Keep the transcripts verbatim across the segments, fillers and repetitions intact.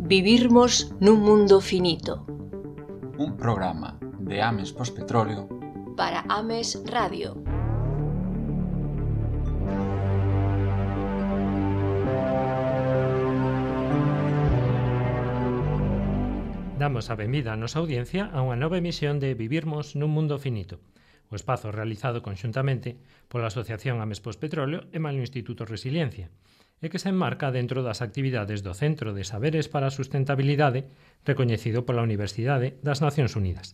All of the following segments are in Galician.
Vivirmos nun mundo finito. Un programa de Ames Pospetróleo para Ames Radio. Damos a benvida a nosa audiencia a unha nova emisión de Vivirmos nun mundo finito, o espazo realizado conxuntamente pola Asociación Ames Pospetróleo e mal Instituto Resiliencia, e que se enmarca dentro das actividades do Centro de Saberes para a Sustentabilidade recoñecido pola Universidade das Nacións Unidas.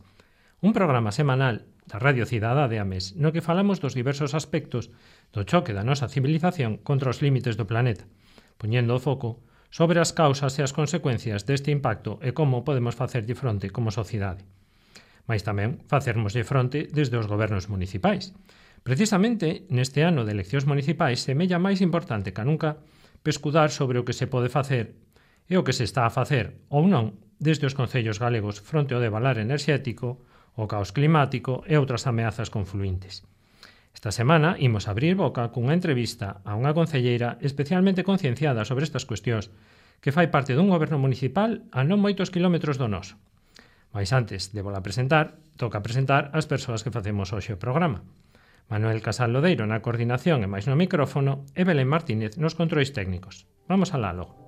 Un programa semanal da Radio Cidadá de Ames no que falamos dos diversos aspectos do choque da nosa civilización contra os límites do planeta, poñendo o foco sobre as causas e as consecuencias deste impacto e como podemos facerlle fronte como sociedade. Mais tamén facermoslle fronte desde os gobernos municipais. Precisamente neste ano de eleccións municipais semella máis importante que nunca pescudar sobre o que se pode facer e o que se está a facer ou non desde os concellos galegos fronte ao devalar enerxético, o caos climático e outras ameazas confluíntes. Esta semana imos abrir boca cunha entrevista a unha concelleira especialmente concienciada sobre estas cuestións que fai parte dun goberno municipal a non moitos quilómetros do noso. Mais antes de vola presentar, toca presentar as persoas que facemos hoxe o programa. Manuel Casal Lodeiro na coordinación e máis no micrófono e Belén Martínez nos controis técnicos. Vamos alá logo.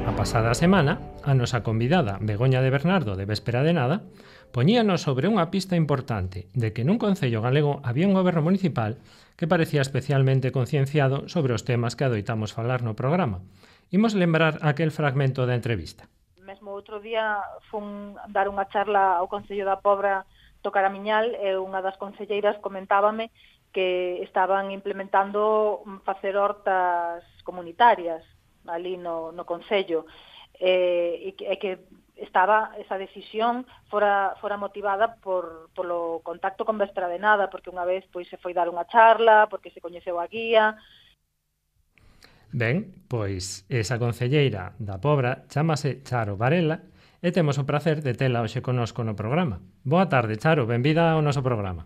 A pasada semana, a nosa convidada Begoña de Bernardo de Véspera de Nada poñíanos sobre unha pista importante de que nun concello galego había un goberno municipal que parecía especialmente concienciado sobre os temas que adoitamos falar no programa. Imos lembrar aquel fragmento da entrevista. Mesmo outro día fun dar unha charla ao Concello da Pobra do Caramiñal e unha das concelleiras comentábame que estaban implementando facer hortas comunitarias ali no, no Concello e, e, que, e que estaba esa decisión fora, fora motivada por polo contacto con Véspera de Nada, porque unha vez pois se foi dar unha charla, porque se coñeceu a guía. Ben, pois esa concelleira da Pobra chámase Charo Varela e temos o prazer de tela hoxe connosco no programa. Boa tarde, Charo, benvida ao noso programa.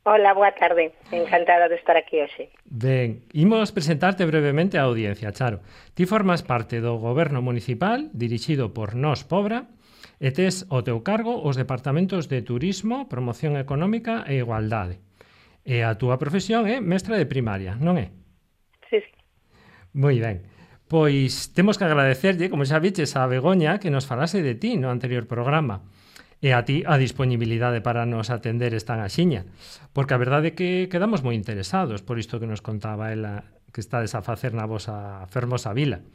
Hola, boa tarde. Encantada de estar aquí hoxe. Ben, imos presentarte brevemente á audiencia, Charo. Ti formas parte do goberno municipal dirixido por Nós Pobra e tes ao teu cargo os departamentos de Turismo, Promoción Económica e Igualdade. E a túa profesión é mestra de primaria, non é? Sí, sí. Moi ben. Pois temos que agradecerlle, como xa viches, a Begoña que nos falase de ti no anterior programa. E a ti a disponibilidade para nos atender esta axiña, porque a verdade é que quedamos moi interesados por isto que nos contaba ela que estades a facer na vosa fermosa vila.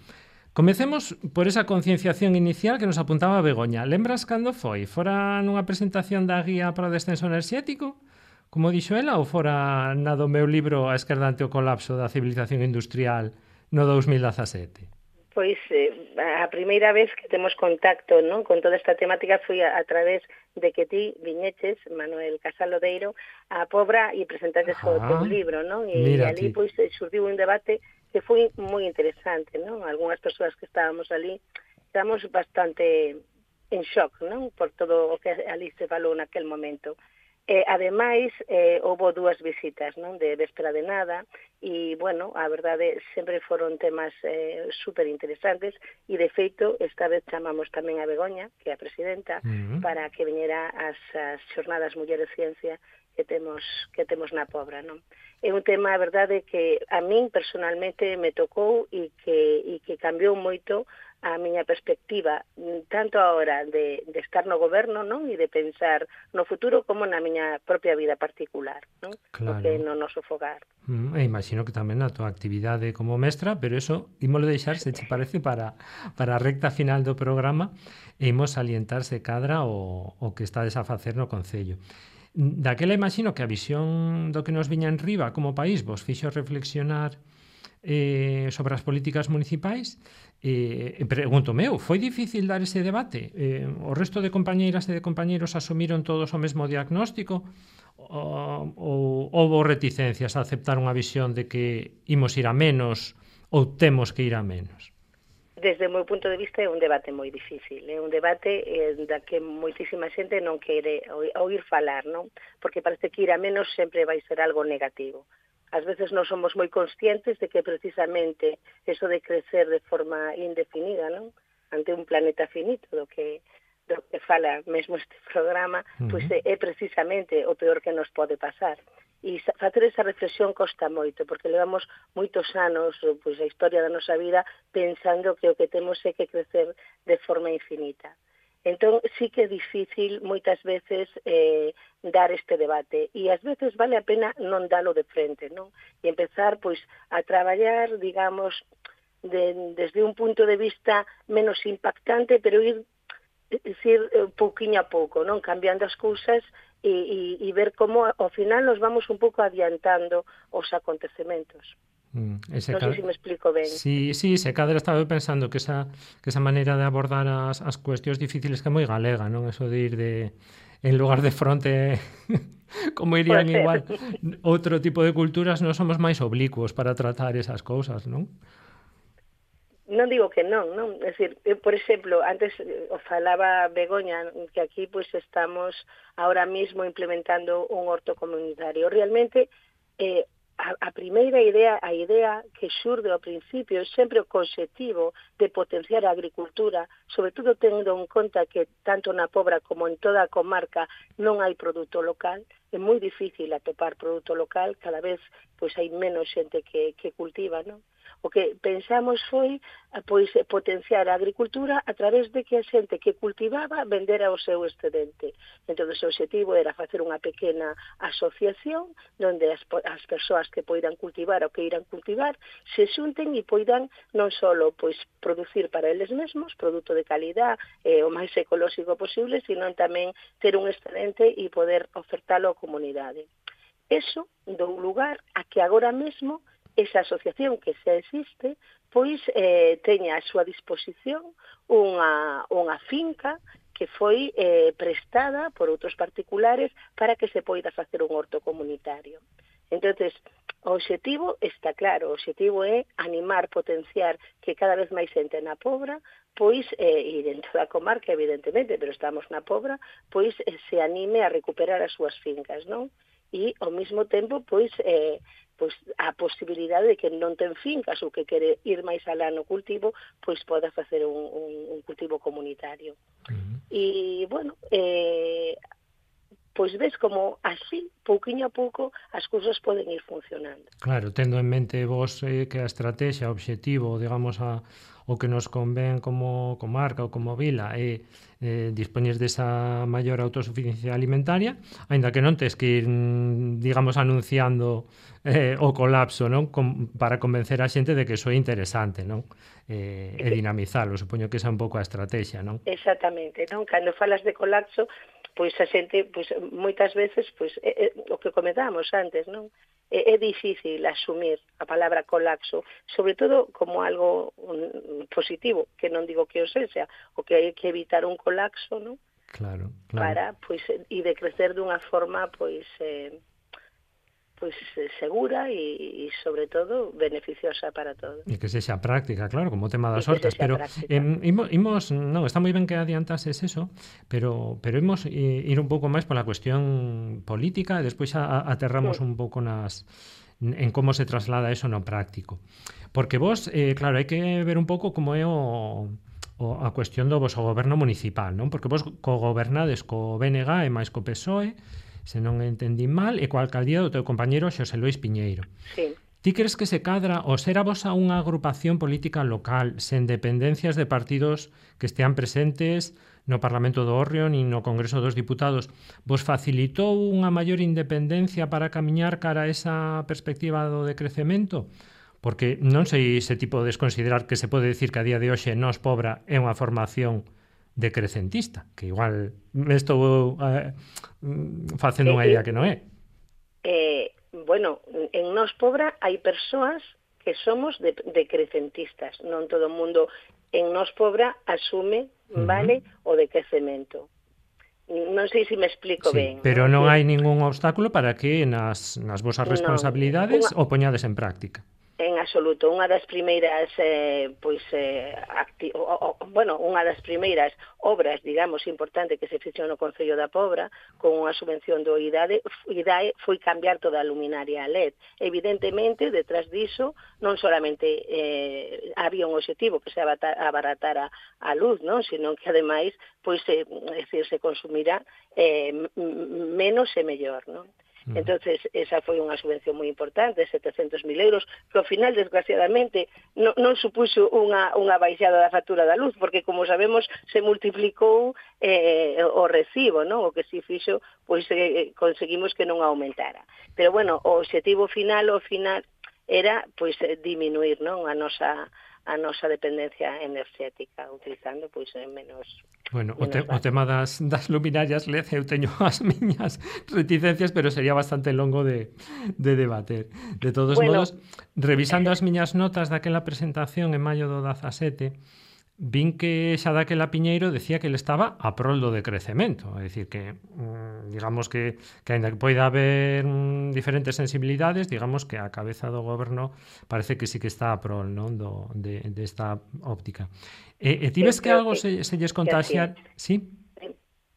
Comecemos por esa concienciación inicial que nos apuntaba Begoña. Lembras cando foi? Fora nunha presentación da guía para o descenso enerxético, como dixo ela, ou fora na do meu libro A esquerda ante o colapso da civilización industrial no dous mil dezasete? Pois eh, a primeira vez que temos contacto, non, con toda esta temática foi a, a través de que ti viñeches, Manuel Casal Lodeiro, a Pobra e presentaches o teu libro, non? E ali pois surdiu un debate que foi moi interesante, non? Algúnas persoas que estábamos ali estábamos bastante en shock, non? Por todo o que ali se falou naquel momento. E, ademais, eh, houve dúas visitas, non? De Véspera de Nada e, bueno, a verdade, sempre foron temas eh, super interesantes e, de feito, esta vez chamamos tamén a Begoña, que é a presidenta, uh-huh. para que viñera as, as xornadas Mulleres Ciencia que temos que temos na Pobra, non? É un tema, a verdade, que a min personalmente me tocou e que, e que cambiou moito a miña perspectiva, tanto a hora de, de estar no goberno, non? E de pensar no futuro como na miña propia vida particular, non? Claro. Porque no noso fogar. Mm, e imagino que tamén na tua actividade como mestra, pero eso ímolo deixar, se che parece, para, para a recta final do programa e imos salientarse cadra o, o que estades a facer no Concello. Daquela imagino que a visión do que nos viña en riba como país vos fixo reflexionar eh, sobre as políticas municipais. Eh, pregunto meu, foi difícil dar ese debate? Eh, o resto de compañeiras e de compañeiros asumiron todos o mesmo diagnóstico? Ou, ou houve reticencias a aceptar unha visión de que imos ir a menos ou temos que ir a menos? desde o meu punto de vista, é un debate moi difícil. É un debate eh, da que moitísima xente non quere oír falar, non? Porque parece que ir a menos sempre vai ser algo negativo. Ás veces non somos moi conscientes de que precisamente eso de crecer de forma indefinida, non? Ante un planeta finito, do que, do que fala mesmo este programa, uh-huh. pois é, é precisamente o peor que nos pode pasar. E facer esa reflexión costa moito, porque levamos moitos anos, pois a historia da nosa vida, pensando que o que temos é que crecer de forma infinita. Entón, sí que é difícil moitas veces eh, dar este debate e ás veces vale a pena non dalo de frente, non? E empezar, pois, a traballar, digamos, de, desde un punto de vista menos impactante, pero ir, ir pouquiño a pouco, non? Cambiando as cousas e, e, e ver como ao final nos vamos un pouco adiantando os acontecementos. Mm, ese non cadra... sei se me explico ben. Sí, sí, se cadra estaba pensando que esa, que esa maneira de abordar as, as cuestións difíciles que é moi galega, non? Eso de ir de, en lugar de fronte, como irían igual outro tipo de culturas, non somos máis oblicuos para tratar esas cousas, non? Non digo que non, non? É dicir, por exemplo, antes o falaba Begoña, que aquí pois estamos ahora mismo implementando un horto comunitario. Realmente, eh, A, a primeira idea, a idea que xurde ao principio é sempre o conxectivo de potenciar a agricultura, sobre todo tendo en conta que tanto na Pobra como en toda a comarca non hai produto local, é moi difícil atopar produto local, cada vez pois hai menos xente que, que cultiva, non? O que pensamos foi pois potenciar a agricultura a través de que a xente que cultivaba vendera o seu excedente. Entón, o objetivo era facer unha pequena asociación onde as, as persoas que poidan cultivar ou que irán cultivar se xunten e poidan non só pois, producir para eles mesmos produto de calidad eh, o máis ecolóxico posible, sino tamén ter un excedente e poder ofertalo á comunidade. Eso dou lugar a que agora mesmo esa asociación que xa existe, pois eh, teña a súa disposición unha, unha finca que foi eh, prestada por outros particulares para que se poida facer un horto comunitario. Entonces, o obxectivo está claro, o obxectivo é animar, potenciar que cada vez máis xente na Pobra, pois, eh, e dentro da comarca, evidentemente, pero estamos na Pobra, pois eh, se anime a recuperar as súas fincas, non? E, ao mesmo tempo, pois, eh, pois a posibilidade de que non ten fincas ou que quere ir máis alá no cultivo, pois poda facer un, un, un cultivo comunitario. Uh-huh. E, bueno, eh, pois ves como así, pouquiño a pouco, as cousas poden ir funcionando. Claro, tendo en mente vos eh, que a estrategia, o obxectivo, digamos, a, o que nos convén como comarca ou como vila é eh, dispoñes desa maior autosuficiencia alimentaria, aínda que non tes que ir, digamos, anunciando eh, o colapso, non? Com, para convencer a xente de que iso é interesante, non? Eh, e dinamizalo, supoño que esa é un pouco a estrategia, non? Exactamente, non? Cando falas de colapso, pois a xente, pois moitas veces, pois é, é, o que comentábamos antes, non? É, é difícil asumir a palabra colapso, sobre todo como algo um, positivo, que non digo que o sexa, o que hai que evitar un colapso, non? Claro, claro. Para, pois, e de crecer dunha forma, pois, eh, pois segura e, e, sobre todo, beneficiosa para todos. E que sexa práctica, claro, como o tema das hortas. Pero eh, imos, imos, non, está moi ben que adiantases eso, pero pero imos ir un pouco máis pola cuestión política e despois a, a, aterramos sí. un pouco nas en como se traslada eso no práctico. Porque vos, eh, claro, hai que ver un pouco como é o... o a cuestión do vosso goberno municipal, non? Porque vos cogobernades co B N G e máis co P S O E, se non entendín mal, e coa alcaldía do teu compañeiro Xosé Luís Piñeiro. Sí. Ti crees que se cadra o ser a vosa unha agrupación política local sen dependencias de partidos que estean presentes no Parlamento do Hórreo nin no Congreso dos Diputados vos facilitou unha maior independencia para camiñar cara a esa perspectiva do decrecemento? Porque non sei se ti podes considerar que se pode decir que a día de hoxe Nós Pobra é unha formación decrecentista, que igual me estou eh, facendo unha idea que non é. Eh, bueno, en Nós Pobra hai persoas que somos de, decrecentistas, non todo o mundo en Nós Pobra asume, uh-huh. vale, o decrecemento. Non sei se me explico sí, ben. Pero non hai ningún obstáculo para que nas, nas vosas responsabilidades no, unha... o poñades en práctica. En absoluto, unha das primeiras eh, pois eh, acti o, o, bueno, unha das primeiras obras, digamos, importante que se fixo no Concello da Pobra con unha subvención do I D A E, I D A E foi cambiar toda a luminaria a L E D. Evidentemente, detrás diso, non solamente eh, había un objetivo que se abaratara a luz, non, sino que ademais pois eh, decir, se consumirá eh, menos e mellor, non? Entonces, esa foi unha subvención moi importante, setecentos mil euros, que ao final, desgraciadamente, non, non supuxo unha, unha baixada da factura da luz, porque, como sabemos, se multiplicou eh, o recibo, non? O que si fixo, pois eh, conseguimos que non aumentara. Pero, bueno, o objetivo final, o final, era, pois, diminuir, non? A nosa a nosa dependencia enerxética, utilizando, pois, menos... Bueno, o, te, o tema das, das luminarias L E D eu teño as miñas reticencias, pero sería bastante longo de, de debater. De todos bueno, modos, revisando as miñas notas daquela presentación en maio do dezasete, vin que xa daquela Piñeiro decía que ele estaba a prol do decrecemento, é dicir que digamos que, que ainda que poida haber mm, diferentes sensibilidades, digamos que a cabeza do goberno parece que sí que está a prol, non, do, de, de esta óptica. E, e ti ves que algo se, se lles contagiar? Sí?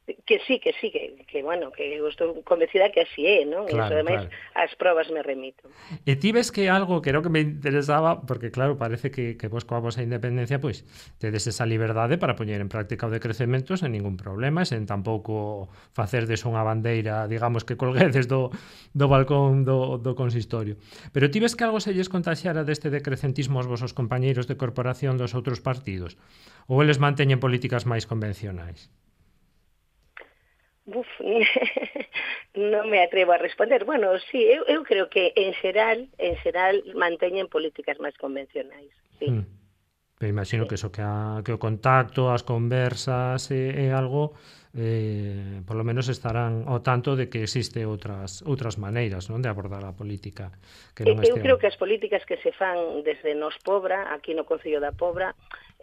Que sí, que sí, que, que bueno, que eu estou convencida que así é, non? Claro, e iso, ademais, claro. as probas me remito. E ti ves que algo que era o que me interesaba, porque claro, parece que, que vos coa vosa independencia, pois, tedes esa liberdade para poñer en práctica o decrecemento sen ningún problema, sen tampouco facerdes unha bandeira, digamos, que colguedes do, do balcón do, do consistorio. Pero ti ves que algo se lles contaxiara deste decrecentismo aos vosos compañeiros de corporación dos outros partidos? Ou eles manteñen políticas máis convencionais? Uf, non me atrevo a responder. Bueno, sí, eu, eu creo que en xeral, en xeral manteñen políticas máis convencionais, sí. Mm. Pero imagino sí. que eso, que, a, que o contacto, as conversas é, é algo, eh, por lo menos estarán ao tanto de que existe outras outras maneiras, non, de abordar a política. Que non eu este... creo que as políticas que se fan desde Nos Pobra, aquí no Concello da Pobra,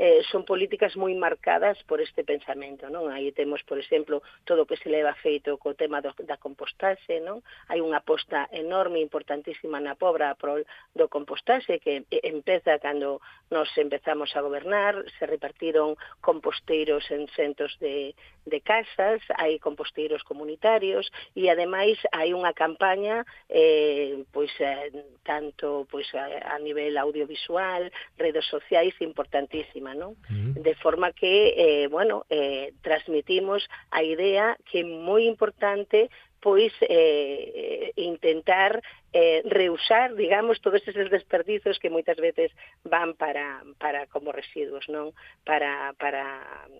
Eh, son políticas moi marcadas por este pensamento, non? Aí temos, por exemplo, todo o que se leva feito co tema do, da compostaxe, non? Hai unha aposta enorme, importantísima na Pobra pro do compostaxe que empeza cando nos empezamos a gobernar, se repartiron composteiros en centos de, de casas, hai composteiros comunitarios e ademais hai unha campaña eh, pois eh, tanto pois a, a nivel audiovisual, redes sociais importantísima, ¿no? Uh-huh. De forma que, eh, bueno, eh, transmitimos a idea que é moi importante pois eh, intentar eh, reusar, digamos, todos esos desperdizos que moitas veces van para, para como residuos, non? Para... para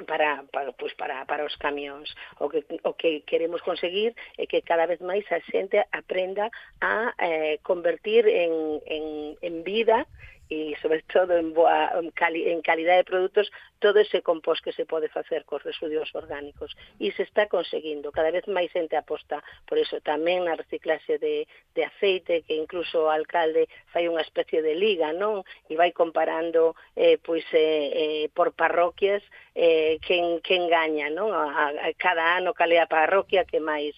para para pues para para os camións. O que o que queremos conseguir é que cada vez máis a xente aprenda a eh, convertir en en en vida e sobre todo en boa en, cali, en calidade de produtos todo ese compost que se pode facer cos residuos orgánicos e se está conseguindo. Cada vez máis xente aposta por eso, tamén na reciclaxe de, de aceite, que incluso o alcalde fai unha especie de liga, non? E vai comparando eh, pois eh, eh, por parroquias eh, quen, quen gaña, non? A, a cada ano cal é a parroquia que máis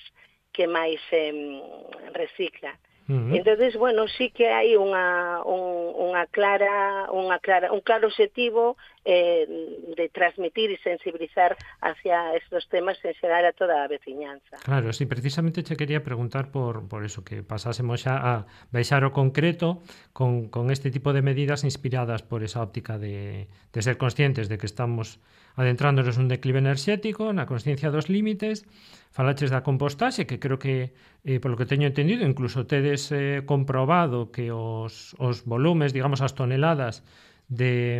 que máis eh, recicla. Uh-huh. Entonces, bueno, sí que hai unha un, unha clara unha clara un claro objetivo eh, de transmitir e sensibilizar hacia estos temas en xeral a toda a veciñanza. Claro, sí, precisamente che quería preguntar por por eso, que pasásemos xa a baixar o concreto con, con este tipo de medidas inspiradas por esa óptica de, de ser conscientes de que estamos adentrándonos un declive enerxético, na consciencia dos límites. Falaches da compostaxe, que creo que, eh, polo que teño entendido, incluso tedes eh, comprobado que os, os volumes, digamos, as toneladas de,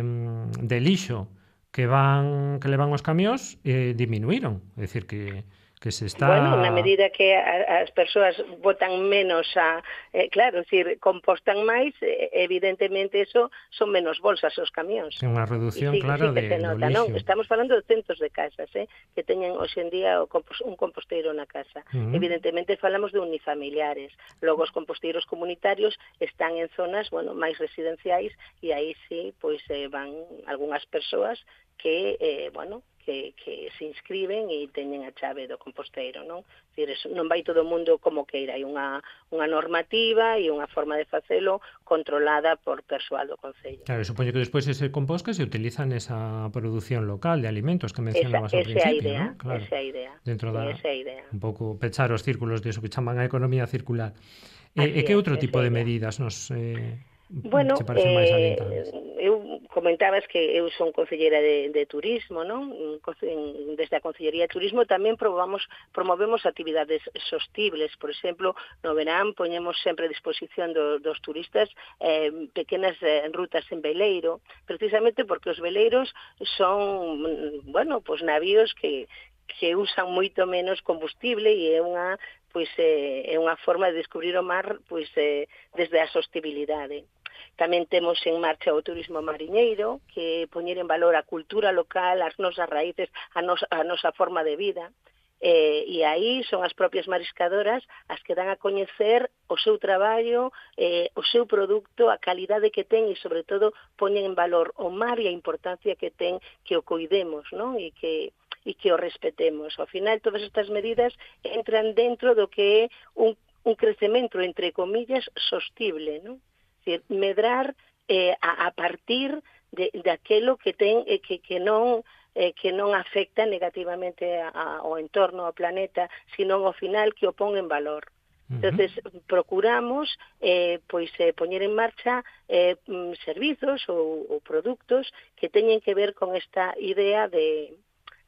de lixo que van que levan os camións eh, diminuíron. É dicir, que, que se está... Bueno, na medida que a, as persoas botan menos a... Eh, claro, decir, compostan máis, eh, evidentemente eso son menos bolsas os camións. É unha reducción, sí, claro, sí de, se nota, do lixo. Non? Estamos falando de centos de casas, eh, que teñen hoxe en día o compos, un composteiro na casa. Uh-huh. Evidentemente falamos de unifamiliares. Logo os composteiros comunitarios están en zonas, bueno, máis residenciais e aí sí, pois eh, van algunhas persoas que, eh, bueno, que, que se inscriben e teñen a chave do composteiro, non? Dicir, non vai todo o mundo como queira, hai unha, unha normativa e unha forma de facelo controlada por persoal do Concello. Claro, supoño que despois ese compost que se utiliza nesa produción local de alimentos que mencionabas ao esa, esa principio, idea, ¿no? Claro. Esa é a idea. Dentro da, esa é a idea. Un pouco pechar os círculos de eso que chaman a economía circular. E, e que outro tipo de medidas nos eh, bueno, se parecen máis eh, alientables? Eu comentabas que eu son concelleira de, de turismo, non? Desde a Concellería de Turismo tamén probamos, promovemos actividades sostibles. Por exemplo, no verán poñemos sempre a disposición do, dos turistas eh, pequenas eh, rutas en veleiro, precisamente porque os veleiros son, bueno, pues navíos que que usan moito menos combustible e é unha pois eh, é unha forma de descubrir o mar pois eh, desde a sostibilidade. Tamén temos en marcha o turismo mariñeiro, que poñer en valor a cultura local, as nosas raíces, a, nos, a nosa forma de vida. Eh, e aí son as propias mariscadoras as que dan a coñecer o seu traballo, eh, o seu produto, a calidade que ten e, sobre todo, poñen en valor o mar e a importancia que ten que o cuidemos, non? E que e que o respetemos. Ao final, todas estas medidas entran dentro do que é un, un crecemento, entre comillas, sostible, non? Decir, medrar eh, a, a partir de, de aquelo que ten eh, que, que non eh, que non afecta negativamente a, a, ao entorno, ao planeta, sino ao final que o pon en valor. Entonces, procuramos eh, pois eh, poñer en marcha eh, servizos ou, ou produtos que teñen que ver con esta idea de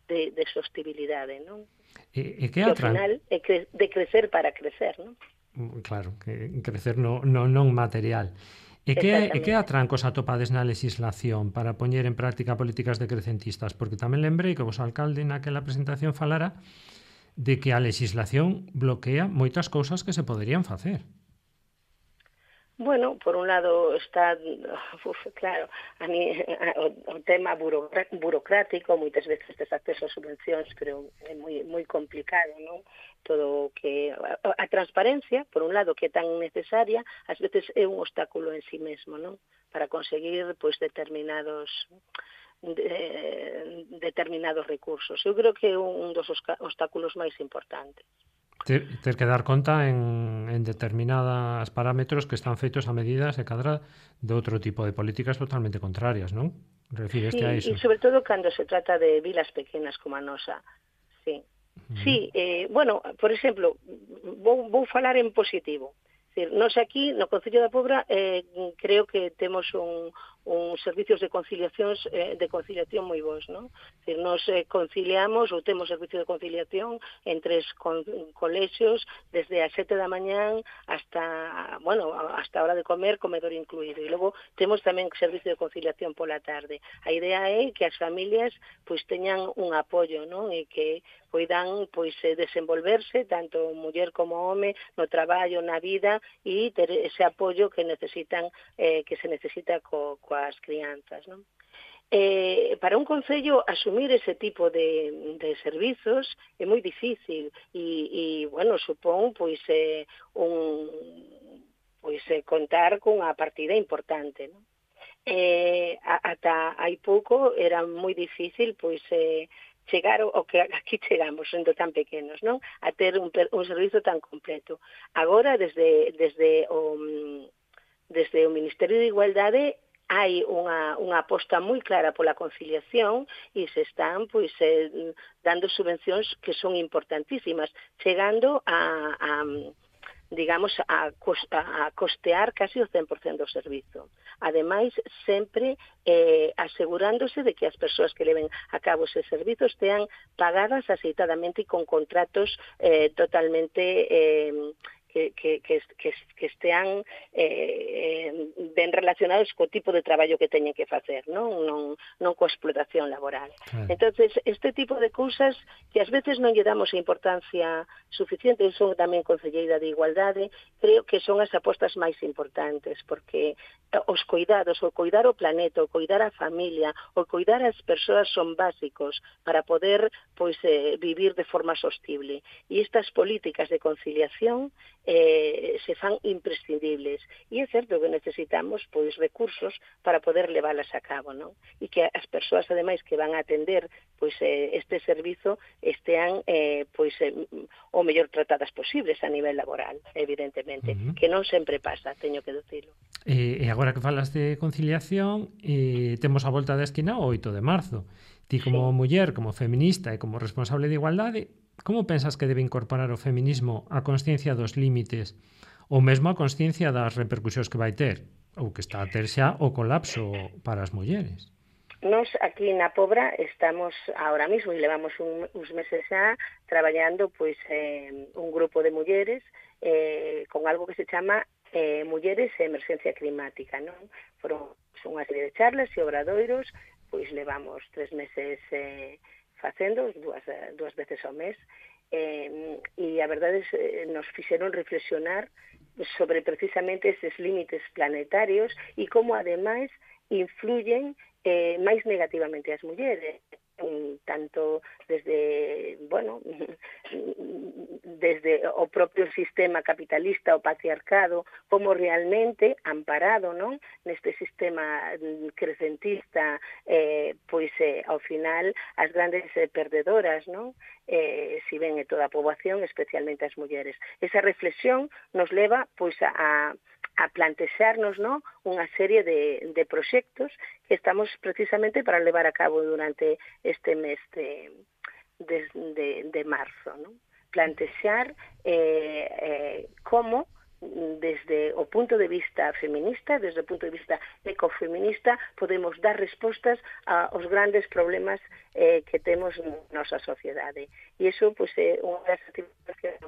De, de sostibilidade, non? E, e que, que ao atran... final é cre... de crecer para crecer, non? Claro, que crecer no, no, non material. E que, e que atrancos atopades na legislación para poñer en práctica políticas decrecentistas? Porque tamén lembrei que vos alcalde naquela presentación falara de que a legislación bloquea moitas cousas que se poderían facer. Bueno, por un lado está, uf, claro, a mí, a, o, o tema burocrático, moitas veces tes acceso a subvencións, pero é moi, moi complicado, non? Todo que a, a transparencia, por un lado, que é tan necesaria, ás veces é un obstáculo en sí mesmo, non? Para conseguir, pois, determinados de, determinados recursos. Eu creo que é un dos obstáculos máis importantes. Ter, ter que dar conta en, en determinadas parámetros que están feitos a medidas e cadra de outro tipo de políticas totalmente contrarias, non? Refíreste sí, a iso. E sobre todo cando se trata de vilas pequenas como a nosa. Sí, uh-huh. sí eh, bueno, por exemplo, vou, vou falar en positivo. Decir, nós aquí, no Concello da Pobra, eh, creo que temos un, un servicios de conciliación eh, de conciliación moi bons, non? Decir, nos eh, conciliamos ou temos servicio de conciliación en tres con, colexios desde as sete da mañán hasta, bueno, hasta a hora de comer, comedor incluído. E logo temos tamén servicio de conciliación pola tarde. A idea é que as familias pois teñan un apoio, non? E que poidan pois desenvolverse tanto muller como home no traballo, na vida e ter ese apoio que necesitan eh, que se necesita co, coas crianzas, non? Eh, para un concello asumir ese tipo de, de servizos é moi difícil e, e bueno, supón pois eh, un pois eh, contar cunha partida importante, non? Eh, ata hai pouco era moi difícil pois eh, chegar o que aquí chegamos sendo tan pequenos, non? A ter un, un servizo tan completo. Agora, desde, desde, o, desde o Ministerio de Igualdade, hai unha, unha aposta moi clara pola conciliación e se están pois, eh, dando subvencións que son importantísimas, chegando a... a digamos, a, a costear casi o cen por cento do servizo. Ademais, sempre eh, asegurándose de que as persoas que leven a cabo ese servizo estean pagadas aceitadamente e con contratos eh, totalmente... Eh, Que, que, que, que, que estean eh, ben relacionados co tipo de traballo que teñen que facer, non, non, non coa explotación laboral. Claro. Entonces, este tipo de cousas que ás veces non lle damos a importancia suficiente, eu son tamén concelleira de Igualdade, creo que son as apostas máis importantes, porque os cuidados, o cuidar o planeta, o cuidar a familia, o cuidar as persoas son básicos para poder pois, eh, vivir de forma sostible. E estas políticas de conciliación eh, se fan imprescindibles. E é certo que necesitamos pois recursos para poder leválas a cabo, non? E que as persoas, ademais, que van a atender pois eh, este servizo estean eh, pois eh, o mellor tratadas posibles a nivel laboral, evidentemente, uh-huh. que non sempre pasa, teño que dicilo. E, e agora que falas de conciliación, eh, temos a volta da esquina o oito de marzo. Ti como sí. muller, como feminista e como responsable de igualdade, como pensas que debe incorporar o feminismo a consciencia dos límites ou mesmo a consciencia das repercusións que vai ter ou que está a ter xa o colapso para as mulleres? Nos aquí na Pobra estamos ahora mismo e levamos un, uns meses xa traballando pois eh, un grupo de mulleres eh, con algo que se chama eh, Mulleres e Emergencia Climática, non? Foron unha serie de charlas e obradoiros, pois levamos tres meses eh, facendo, dúas, dúas veces ao mes, eh, e a verdade é nos fixeron reflexionar sobre precisamente eses límites planetarios e como ademais influyen eh, máis negativamente as mulleres, tanto desde, bueno, desde o propio sistema capitalista, o patriarcado, como realmente amparado, non? Neste sistema crecentista, eh, pois eh, ao final as grandes eh, perdedoras, non? Eh, si ben é toda a poboación, especialmente as mulleres. Esa reflexión nos leva pois a a plantexarnos, ¿no?, unha serie de, de proxectos que estamos precisamente para levar a cabo durante este mes de, de, de, de marzo, ¿no? Plantexar eh, eh, como desde o punto de vista feminista, desde o punto de vista ecofeminista, podemos dar respostas aos grandes problemas eh, que temos na nosa sociedade. E iso, pois, é unha das actividades que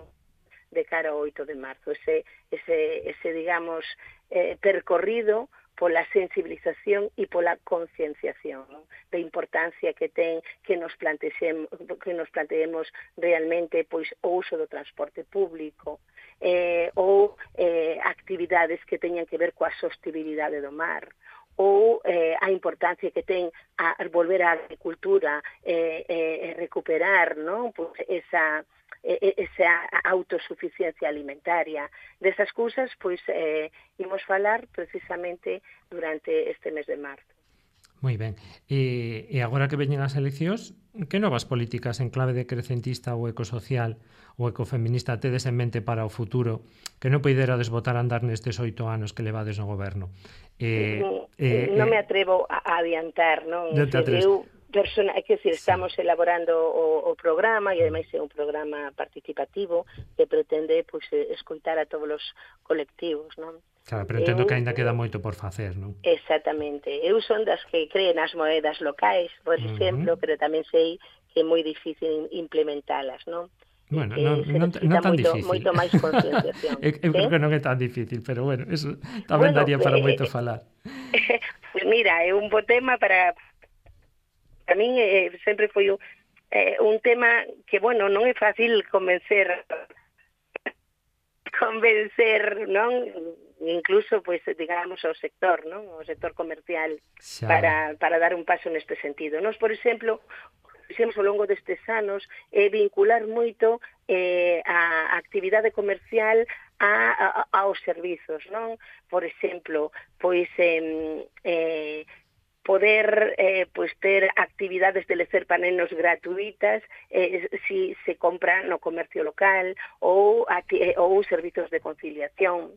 de cara ao oito de marzo, ese, ese, ese digamos, eh, percorrido pola sensibilización e pola concienciación, ¿no?, da importancia que ten que nos planteemos, que nos planteemos realmente pois o uso do transporte público, eh, ou eh, actividades que teñan que ver coa sostibilidade do mar, ou eh, a importancia que ten a volver á agricultura, eh, eh, recuperar, ¿no?, pois esa esa autosuficiencia alimentaria. Desas cousas, pois, eh, imos falar precisamente durante este mes de marzo. Moi ben. E, e agora que veñen as eleccións, que novas políticas en clave de crecentista ou ecosocial ou ecofeminista tedes en mente para o futuro que non poiderades botar a andar nestes oito anos que levades no goberno? Eh, eh, non me atrevo a adiantar, non? Non te atreves. Eu persona, é que decir, estamos sí. elaborando o, o programa e ademais é un programa participativo que pretende pois, escoitar a todos os colectivos, non? Claro, pero entendo eu, que ainda queda moito por facer, non? Exactamente. Eu son das que creen nas moedas locais, por uh-huh. exemplo, pero tamén sei que é moi difícil implementalas, non? Bueno, non, non, non tan moito, difícil. Moito máis concienciación. eu eu creo que non é tan difícil, pero bueno, eso tamén bueno, daría para eh, moito falar. Pues mira, é un bo tema para... A min eh, sempre foi un, eh, un tema que, bueno, non é fácil convencer convencer, non? Incluso, pues, digamos, o sector, non? O sector comercial xa. para para dar un paso neste sentido. Nos, por exemplo, fixemos ao longo destes anos eh, vincular moito eh, a actividade comercial a, a, aos servizos, non? Por exemplo, pois eh, eh, poder eh, pues, ter actividades de lecer panenos gratuitas eh, si se compra no comercio local ou, eh, ou servizos de conciliación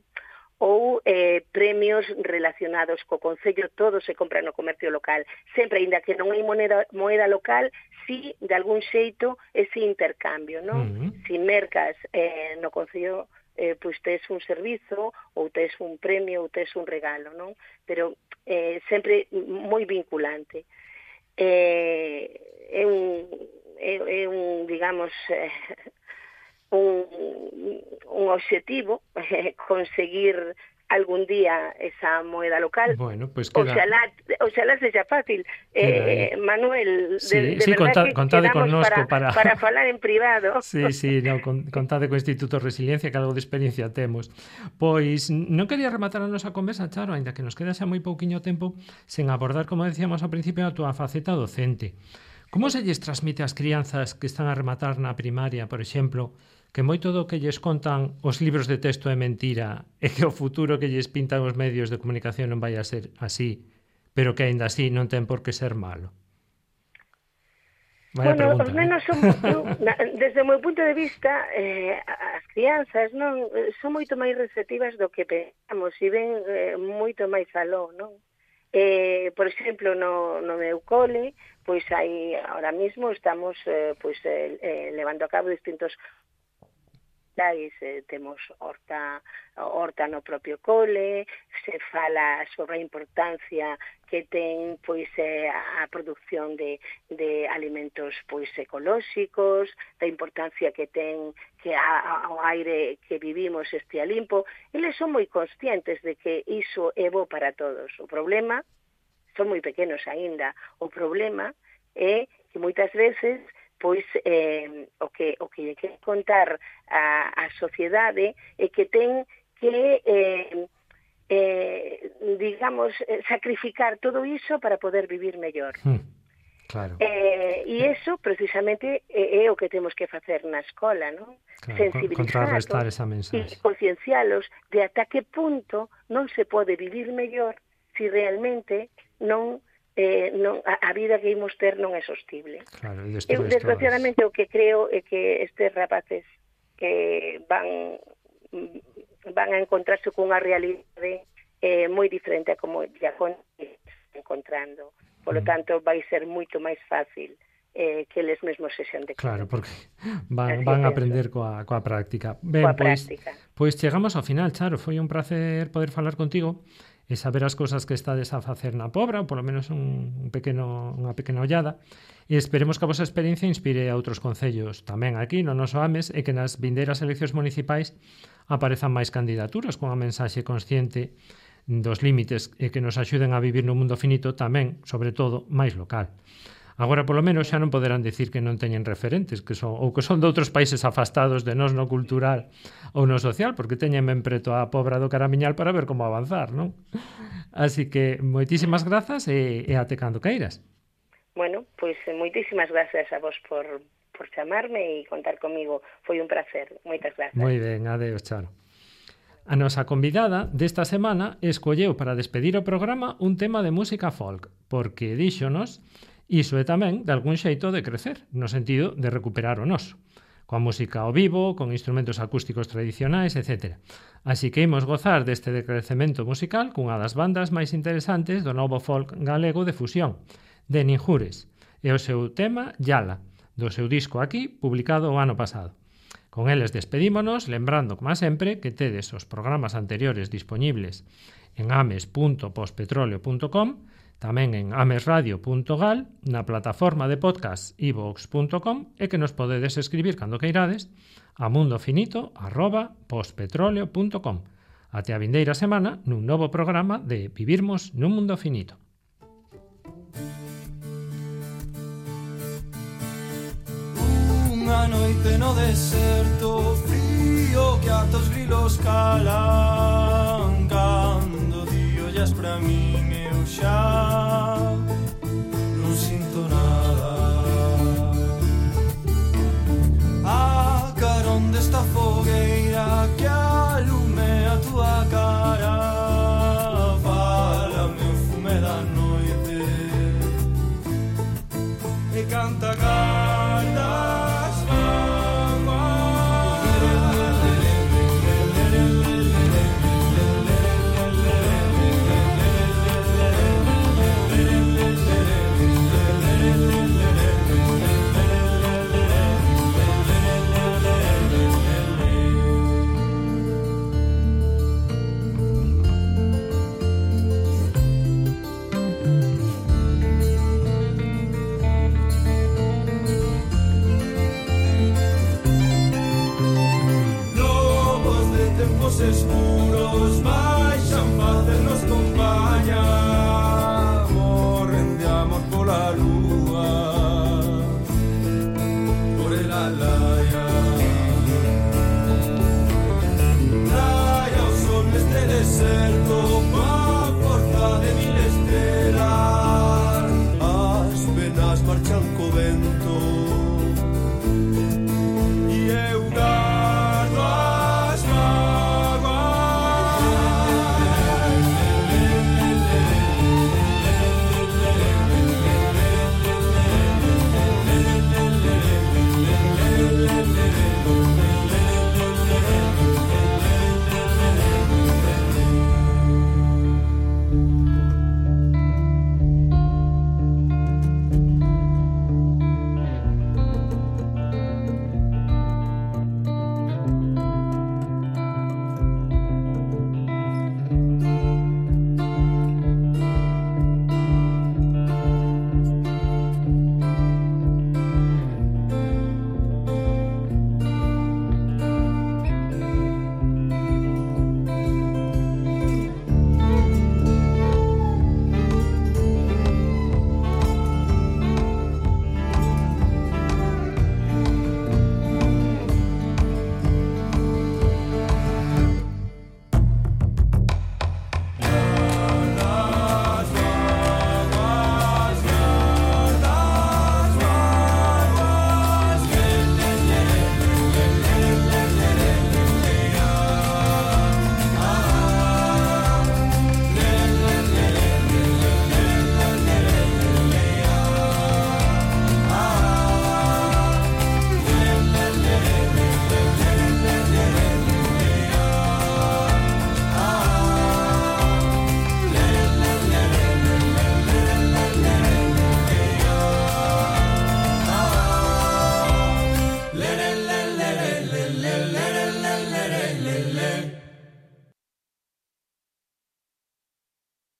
ou eh, premios relacionados co Concello, todo se compra no comercio local. Sempre, ainda que non hai moneda, moeda local, si de algún xeito ese intercambio, non? Uh-huh. Si mercas eh, no Concello, eh, pois tes un servizo ou tes un premio ou tes un regalo, non? Pero eh, sempre moi vinculante. Eh, é un, é, é un digamos, eh, un, un obxectivo eh, conseguir algún día esa moeda local. Bueno, pues queda... Oxalá, oxalá sexa fácil. Eh, Manuel, sí, de, de sí, verdad conta, que contade quedamos connosco para, para... para falar en privado. Sí, sí, no, con, contade co Instituto Resiliencia, que algo de experiencia temos. Pois non quería rematar a nosa conversa, Charo, ainda que nos queda xa moi pouquiño tempo, sen abordar, como decíamos ao principio, a túa faceta docente. Como se lles transmite ás crianzas que están a rematar na primaria, por exemplo, que moito do que lles contan os libros de texto é mentira e que o futuro que lles pintan os medios de comunicación non vai a ser así, pero que aínda así non ten por que ser malo? Vaya bueno, pregunta, os nenos son, eu, desde o meu punto de vista, eh, as crianzas non son moito máis receptivas do que pensamos e ven eh, moito máis aló, non? Eh, por exemplo, no, no meu cole, pois aí ahora mismo estamos eh, pois eh, eh, levando a cabo distintos eh, temos horta, horta no propio cole, se fala sobre a importancia que ten pois eh, a produción de, de alimentos pois ecolóxicos, da importancia que ten que a, a, o aire que vivimos estea limpo. Eles son moi conscientes de que iso é bo para todos. O problema, son moi pequenos aínda, o problema é que moitas veces pois eh, o que o que lle quere contar a, a sociedade é que ten que eh, eh, digamos, sacrificar todo iso para poder vivir mellor. Mm, claro. Eh, e iso, precisamente, é, é o que temos que facer na escola, non? Claro, sensibilizar esa e conciencialos de ata que punto non se pode vivir mellor se realmente non Eh, non, a, a vida que imos ter non é sostible. Claro, eu, desgraciadamente, o que creo é que estes rapaces que van van a encontrarse cunha realidade eh, moi diferente a como ya con encontrando. Por lo tanto, vai ser moito máis fácil eh, que eles mesmos sexan de claro, porque van, van a aprender coa, coa práctica. Ben, coa pois, práctica. Pois chegamos ao final, Charo. Foi un placer poder falar contigo e saber as cousas que estades a facer na Pobra, ou polo menos un pequeno, unha pequena ollada, e esperemos que a vosa experiencia inspire a outros concellos tamén aquí no noso Ames e que nas vindeiras eleccións municipais aparezan máis candidaturas con a mensaxe consciente dos límites e que nos axuden a vivir no mundo finito tamén, sobre todo, máis local. Agora, polo menos, xa non poderán dicir que non teñen referentes, que son, ou que son de outros países afastados de nós no cultural ou no social, porque teñen ben preto a Pobra do Caramiñal para ver como avanzar, non? Así que, moitísimas grazas e, e até cando queiras. Bueno, pois moitísimas grazas a vos por, por chamarme e contar comigo. Foi un placer. Moitas grazas. Moi ben, adeus, Charo. A nosa convidada desta semana escolleu para despedir o programa un tema de música folk, porque díxonos iso é tamén, de algún xeito, de crecer, no sentido de recuperar o noso, coa música ao vivo, con instrumentos acústicos tradicionais, etcétera. Así que imos gozar deste decrecemento musical cunha das bandas máis interesantes do novo folk galego de fusión, de Ninjures, e o seu tema Yala, do seu disco Aquí, publicado o ano pasado. Con eles despedímonos, lembrando, como sempre, que tedes os programas anteriores dispoñibles en ames punto pospetroleo punto com, tamén en amesradio punto gal, na plataforma de podcast i vox punto com e que nos podedes escribir cando queirades a mundofinito arroba pospetroleo punto com. Até a vindeira semana nun novo programa de Vivirmos nun Mundo Finito. Unha noite no deserto, frío que ata os grilos calan, cando di ollas pra min eu xa non sinto nada. A carón desta fogueira que alume a túa cara, fálame o fume da noite e canta cartas. Escuros,